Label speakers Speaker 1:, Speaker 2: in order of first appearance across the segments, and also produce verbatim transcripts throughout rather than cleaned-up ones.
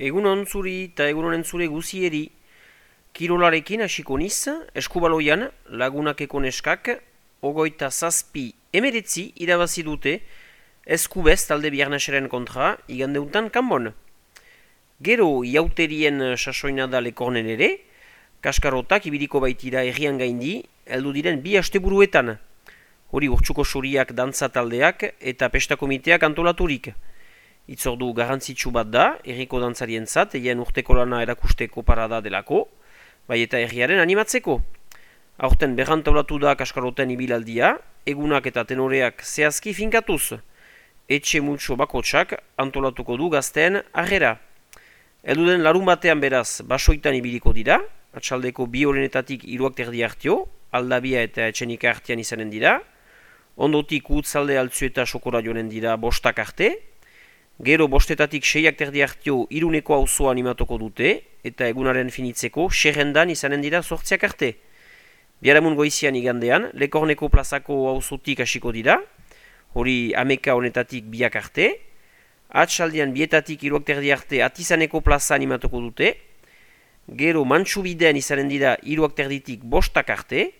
Speaker 1: Egunon zuri eta egunonen zure guzieri. Kirolarekin hasiko niz, eskubaloian lagunakeko neskak, ogoita zazpi emeretzi irabazi dute eskubez talde biarnaseren kontra igandeuntan kanbon. Gero iauterien sasoina da lekornen ere, kaskarotak ibiliko baitira errian gaindi, heldu diren bi asteburuetan. Hori urtsuko suriak dantza taldeak eta pesta komiteak antolaturik. Itzordu garrantzitsu bat da, erriko dantzarientzat, eien urteko lana erakusteko parada delako, bai eta herriaren animatzeko. Aurten berrantolatu da kaskaroten ibilaldia, egunak eta tenoreak zehazki finkatuz. Etxe multso bakotsak antolatuko du gazteen arrera. Elduden larun batean beraz basoitan ibiliko dira, atxaldeko bi horrenetatik hiruak terdi hartio, aldabia eta etxenika artean izanen dira, ondotik utzalde altzu eta sokora joanen dira bostak arte, gero bostetatik seiak terdi hartio iruneko auzoa animatuko dute, eta egunaren finitzeko xerrendan izanen dira sortziak arte. Biaramun goizian igandean, Lekorneko plazako auzotik hasiko dira, hori ameka honetatik biak arte, atxaldian bietatik hiruak terdi arte Atizaneko plaza animatuko dute, gero Mantxubidean izanen dira hiruak terditik bostak arte,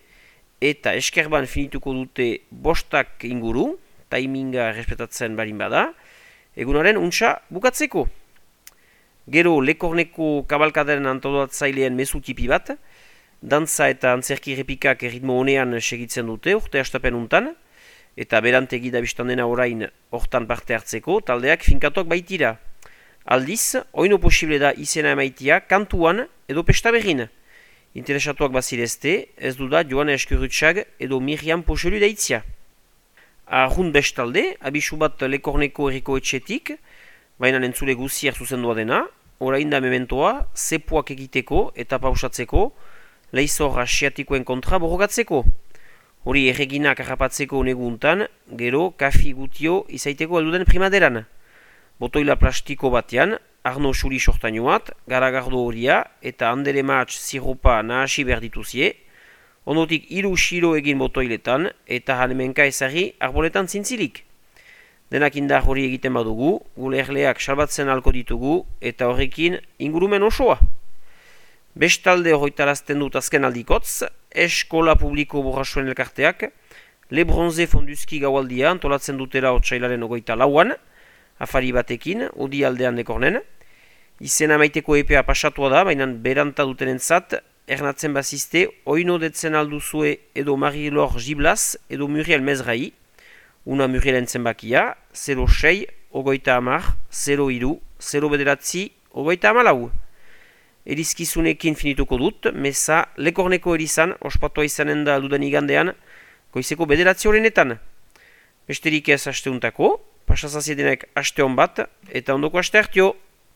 Speaker 1: eta eskerban finituko dute bostak inguru, taiminga respetatzen barin bada, egunaren untsa bukatzeko. Gero Lekorneko kabalkadaren antolatzaileen mezu tipi bat, dantza eta antzerki repikak erritmo honean segitzen dute urte astapen untan, eta berantegi da biztan dena orain hortan parte hartzeko taldeak finkatuak baitira. Aldiz, oino posible da izena emaitia kantuan edo pesta berrin. Interesatuak bazirezte, ez du da Joane Eskurutxag edo Miriam Poxelu deitzia. Arrun bestalde, abisu bat Lekorneko erriko etxetik, baina entzule guziak zuzendua dena, orain da mementoa, zepuak egiteko eta pausatzeko, leizor asiatikoen kontra borrogatzeko. Hori erreginak harrapatzeko neguntan, gero kafi gutio izaiteko elduden primaderan. Botoila plastiko batean, Arno Xuri sortainoat, garagardo horia eta andere matx ziropa nahasi behar dituzie, ondotik hiru xiro egin botoiletan eta hanemenka ezari arboletan zintzilik. Denak indar hori egiten badugu, gure erleak salbatzen alko ditugu eta horrekin ingurumen osoa. Bestalde horretarazten dut azken aldikotz, Eskola Publiko Borrasuen elkarteak, Le Bronze Fonduzki gaualdia antolatzen dutera otsailaren ogoita lauan, afari batekin, odi aldean Lekornen. Izena maiteko epea pasatua da, baina beranta dutenentzat, ernatzen bazizte, oino detzen alduzue edo Marilor Giblaz edo Muriel Mezrai, una Murielen zenbakia, zero sei, ogoita amar, zero iru, zero bederatzi, ogoita amalau. Erizkizunekin finituko dut, meza Lekorneko erizan, ospatua izanen da dudan igandean, goizeko bederatzi horrenetan. Besterik ez asteuntako, pasazaziedenek aste hon bat, eta ondoko aste hartio.